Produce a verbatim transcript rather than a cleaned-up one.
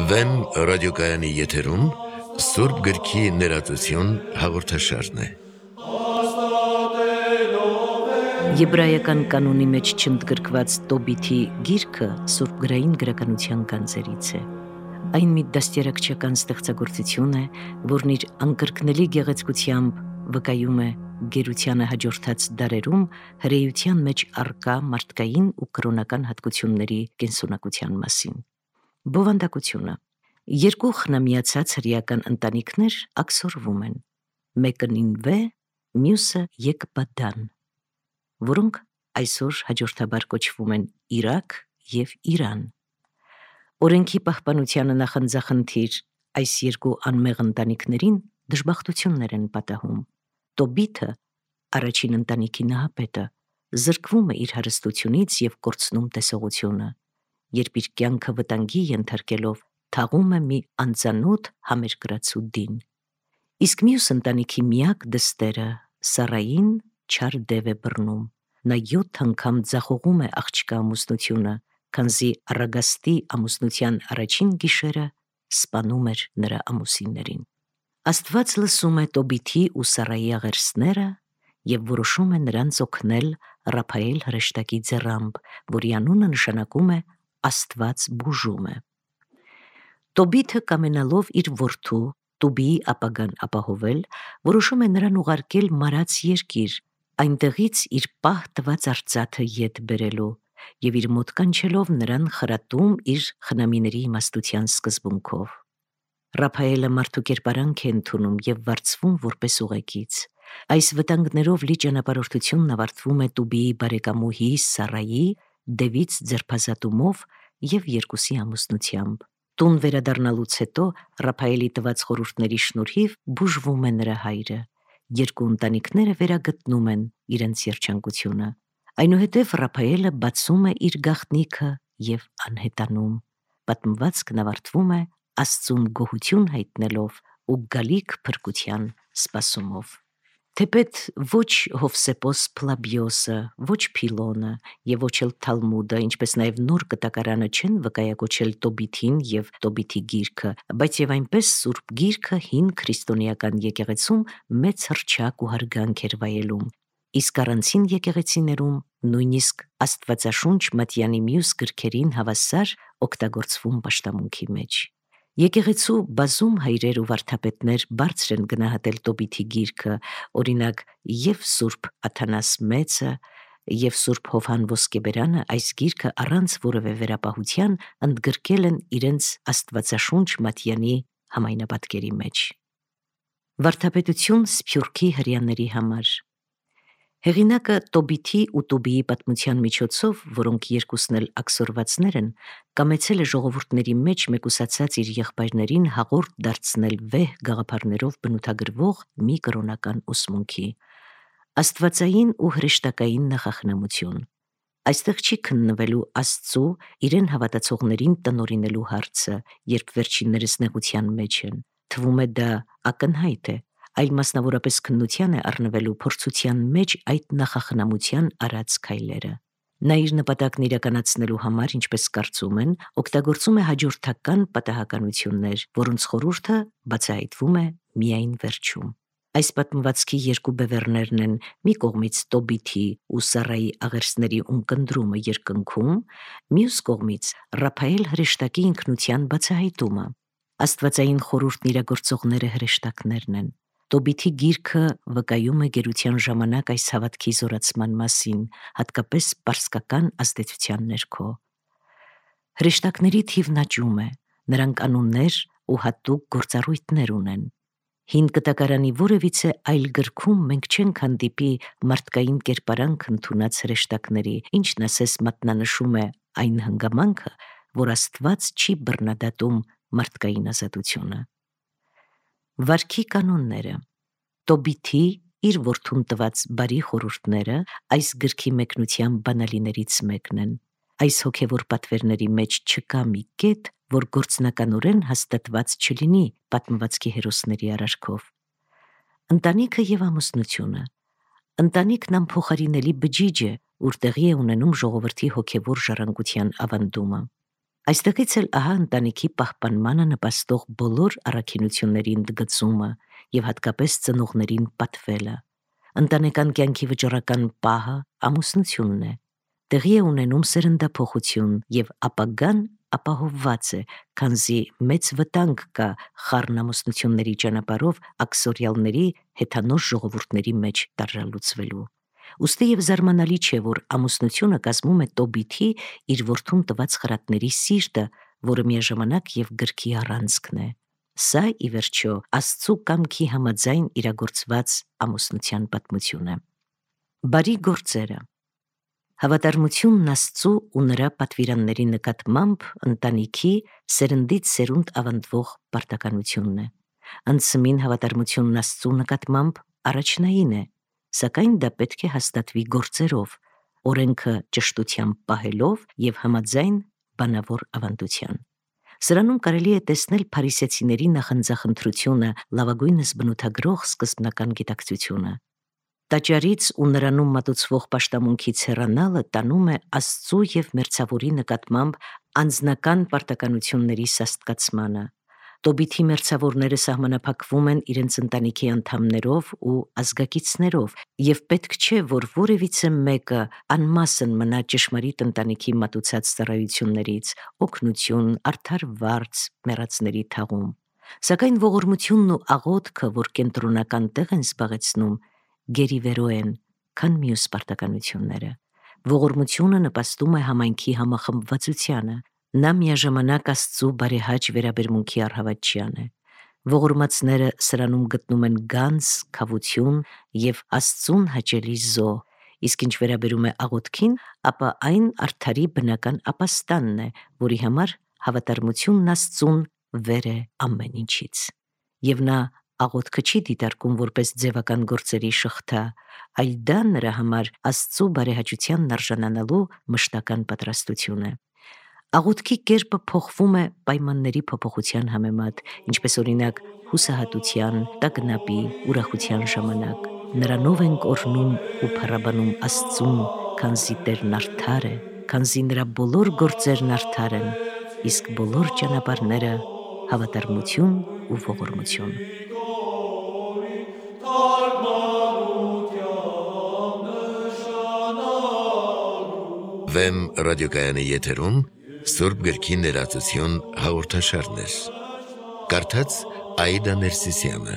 Վեմ ռադիոկայանի եթերում Սուրբ գրքի ներածություն հաղորդաշարն է։ Եբրայական կանոնի մեջ չընդգրկված Տոբիթի գիրքը Սուրբ գրային գրականության գանձերից է։ Այն մի դաստիարակչական ստեղծագործություն է, որն իր անկրկնելի գեղեցկությամբ վկայում է գերությանը հաջորդած դարերում հրեության մեջ առկա մարդկային ու կրոնական հատկությունների կենսունակության մասին։ Բովանդակությունը։ Երկու խնամիացած հրեական ընտանիքներ աքսորվում են, մեկը Նինվե, մյուսը Եկբադան, որոնք այսօր հաջորդաբար կոչվում են Իրաք և Իրան։ Օրենքի պահպանությանը նախանձախնդիր այս երկու անմեղ ընտանիքներին դժբախտություններ են պատահում։ Տոբիթը, առաջին ընտանիքի նահապետը, զրկվում է իր հարստությունից և կորցնում տեսողությունը, երբ իր կյանքը վտանգի ենթարկելով թաղում է մի անծանոթ համերկրացու դին։ Իսկ մյուս ընտանիքի միակ դստերը Սառային չար դև է բռնում։ Նա յոթ անգամ ձախողում է աղջկա ամուսնությունը, քանզի առագաստի ամուսնության առաջին գիշերը սպանում էր նրա ամուսիններին։ Աստված լսում է Տոբիթի ու Սառայի աղերսները և որոշում է նրանց օգնել Ռափայել հրեշտակի ձեռամբ, որի անունը նշանակում է Աստված բուժում է։ Տոբիթը, կամենալով իր որդու Տուբիի ապագան ապահովել, որոշում է նրան ուղարկել մարած երկիր, այնտեղից իր պահ տված արծաթը ետ բերելու և իր մոտ կանչելով նրան խրատում իր խնամիների իմաստության սկզբունքով։ Ռափայելը մարդու կերպարանք է ընդունում և վարձվում որպես ուղեկից։ Այս վտանգներով լի ճանապարհորդությունն ավարտվում է Տուբիի բարեկամուհի Սառայի դևից ձերբազատումով և երկուսի ամուսնությամբ։ Տուն վերադառնալուց հետո Ռափայելի տված խորհուրդների շնորհիվ բուժվում է նրա հայրը։ Երկու ընտանիքները վերագտնում են իրենց երջանկությունը։ Այնուհետև Ռափայելը բացում է իր գաղտնիքը և անհետանում։ Պատմվածքն ավարտվում է Աստծուն գոհություն հայտնելով ու գալիք փրկության սպասումով։ Թեպետ ոչ Հովսեփոս Փլաբիոսը, ոչ Փիլոնը և ոչ էլ Թալմուդը, ինչպես նաև Նոր Կտակարանը չեն վկայակոչել Տոբիթին և Տոբիթի գիրքը, բայց և այնպես Սուրբ գիրքը հին քրիստոնեական եկեղեցում մեծ հռչակ ու հարգանք էր վայելում, իսկ առանցին եկեղեցիներում նույնիսկ Աստվածաշունչ Մատյանի մյուս գրքերին հավասար օգտագործվում պաշտամունքի մեջ։ Եկեղեցու բազում հայրեր ու վարդապետներ բարձր են գնահատել Տոբիթի գիրքը, օրինակ և Սուրբ Աթանաս Մեծը, և Սուրբ Հովհան Ոսկեբերանը այս գիրքը առանց որևէ վերապահության ընդգրկել են իրենց Աստվածաշունչ Մատյանի համայնապատկերի մեջ։ Վարդապետություն Սփյուռքի հրեաների համար։ Հեղինակը Տոբիթի ու Տուբիի պատմության միջոցով, որոնք երկուսն էլ աքսորվածներ են, կամեցել է ժողովուրդների մեջ մեկուսացած իր եղբայրներին հաղորդ դարձնել վեհ գաղափարներով բնութագրվող մի կրոնական ուսմունքի՝ աստվածային ու հրեշտակային նախախնամություն։ Այստեղ չի քննվելու Աստծու իրեն հավատացողներին տնօրինելու հարցը, երբ վերջիններս նեղության մեջ են։ Թվում է դա ակնհայտ է, այլ մասնավորապես քննության է առնվելու փորձության մեջ այդ նախախնամության արած քայլերը։ Նա իր նպատակն իրականացնելու համար, ինչպես կարծում են, օգտագործում է հաջորդական պատահականություններ, որոնց խորհուրդը բացահայտվում է միայն վերջում։ Այս պատմվածքի երկու բևեռներն են մի կողմից Տոբիթի ու Սառայի աղերսների ունկնդրումը երկնքում, մյուս կողմից Ռափայել հրեշտակի ինքնության բացահայտումը։ Աստվածային խորհուրդն իրագործողները հրեշտակներն են։ Տոբիթի գիրքը վկայում է գերության ժամանակ այս հավատքի զորացման մասին, հատկապես պարսկական ազդեցության ներքո։ Հրեշտակների թիվն աճում է, նրանք անուններ ու հատուկ գործառույթներ ունեն։ Հին Կտակարանի որևիցե այլ գրքում մենք չենք հանդիպի մարդկային կերպարանք ընդունած հրեշտակների, ինչն ասես մատնանշում է այն հանգամանքը, որ Աստված չի բռնադատում մարդկային ազատությունը։ Վարքի կանոնները։ Տոբիթի իր որդուն տված բարի խորհուրդները այս գրքի մեկնության բանալիներից մեկն են։ Այս հոգևոր պատվերների մեջ չկա մի կետ, որ գործնականորեն հաստատված չլինի պատմվածքի հերոսների արարքով։ Ընտանիքը և ամուսնությունը։ Ընտանիքն անփոխարինելի բջիջ է, ուր տեղի է ունենում ժողովրդի հոգևոր ժառանգության ավանդումը։ Այստեղից էլ ահա ընտանիքի պահպանմանը նպաստող բոլոր առաքինությունների ընդգծումը եւ հատկապես ծնողներին պատվելը։ Ընտանեկան կյանքի վճռական պահը ամուսնությունն է։ Տեղի է ունենում սերնդափոխություն եւ ապագան ապահովված է, քանզի մեծ վտանգ կա խառն ամուսնությունների ճանապարհով աքսորիալների հեթանոց ժողովուրդների մեջ տարրալուծվելու։ Ուստի եւ զարմանալի չէ, որ ամուսնությունը կազմում է Տոբիթի իր որդուն տված խրատների սիրտը, որը միաժամանակ եւ գրքի առանցքն է։ Սա ի վերջո Աստծու կամքի համաձայն իրագործված ամուսնության պատմությունը։ Բարի գործերը։ Հավատարմությունն Աստծու ու նրա պատվիրանների նկատմամբ ընտանիքի սերնդից սերունդ ավանդվող պարտականությունն է։ Անցմին հավատարմությունն Աստծու նկատմամբ առաջնային է, սակայն դա պետք է հաստատվի գործերով, օրենքը ճշտությամբ պահելով եւ համաձայն բանավոր ավանդության։ Սրանում կարելի է տեսնել փարիսեցիների նախանձախնդրությունը լավագույնս բնութագրող սկզբնական գիտակցությունը։ Տաճարից ու նրանում մատուցվող պաշտամունքից հեռանալը տանում է Աստծու եւ մերձավորի նկատմամբ անձնական պարտականությունների սաստկացմանը։ Տոբիթի մերձավորները սահմանափակվում են իրենց ընտանիքի անդամներով ու ազգակիցներով, եւ պետք չէ, որ որևիցե մեկը անմասն մնա ճշմարիտ ընտանիքի մատուցած ծառայություններից, օգնություն, արդար վարձ, մեռածների թաղում։ Սակայն ողորմությունն ու աղոթքը, որ կենտրոնական տեղ են զբաղեցնում, գերիվերո են, քան մյուս պարտականությունները։ Ողորմությունը նպաստում է համայնքի համախմբվածությանը, նա միաժամանակ Աստծու բարեհաճ վերաբերմունքի առհավատչյան է։ Ողորմածները սրանում գտնում են գանձ, քավություն եւ Աստծուն հաճելի զոհ, իսկ ինչ վերաբերում է աղոթքին, ապա այն արդարի բնական ապաստանն է, որի համար հավատարմությունն Աստծուն վեր է ամեն ինչից։ Եվ նա աղոթքը չի դիտարկում որպես ձևական գործերի շղթա, այլ դա նրա համար Աստծու բարեհաճությանն արժանանալու մշտական պատրաստություն է։ Աղոթքի կերպը փոխվում է պայմանների փոփոխության համեմատ, ինչպես օրինակ հուսահատության, տագնապի, ուրախության ժամանակ։ Նրանով ենք օրհնում ու փառաբանում Աստծուն, քանզի Տերն արդար է, քանզի նրա բոլոր գործերն արդար են, իսկ բոլոր ճանապարհները հավատարմություն ու ողորմություն։ Վեմ ռադիոկայանի եթերում Սուրբ գրքի ներածություն հաղորդաշարներ։ Կարդաց Աիդա Ներսիսյանը։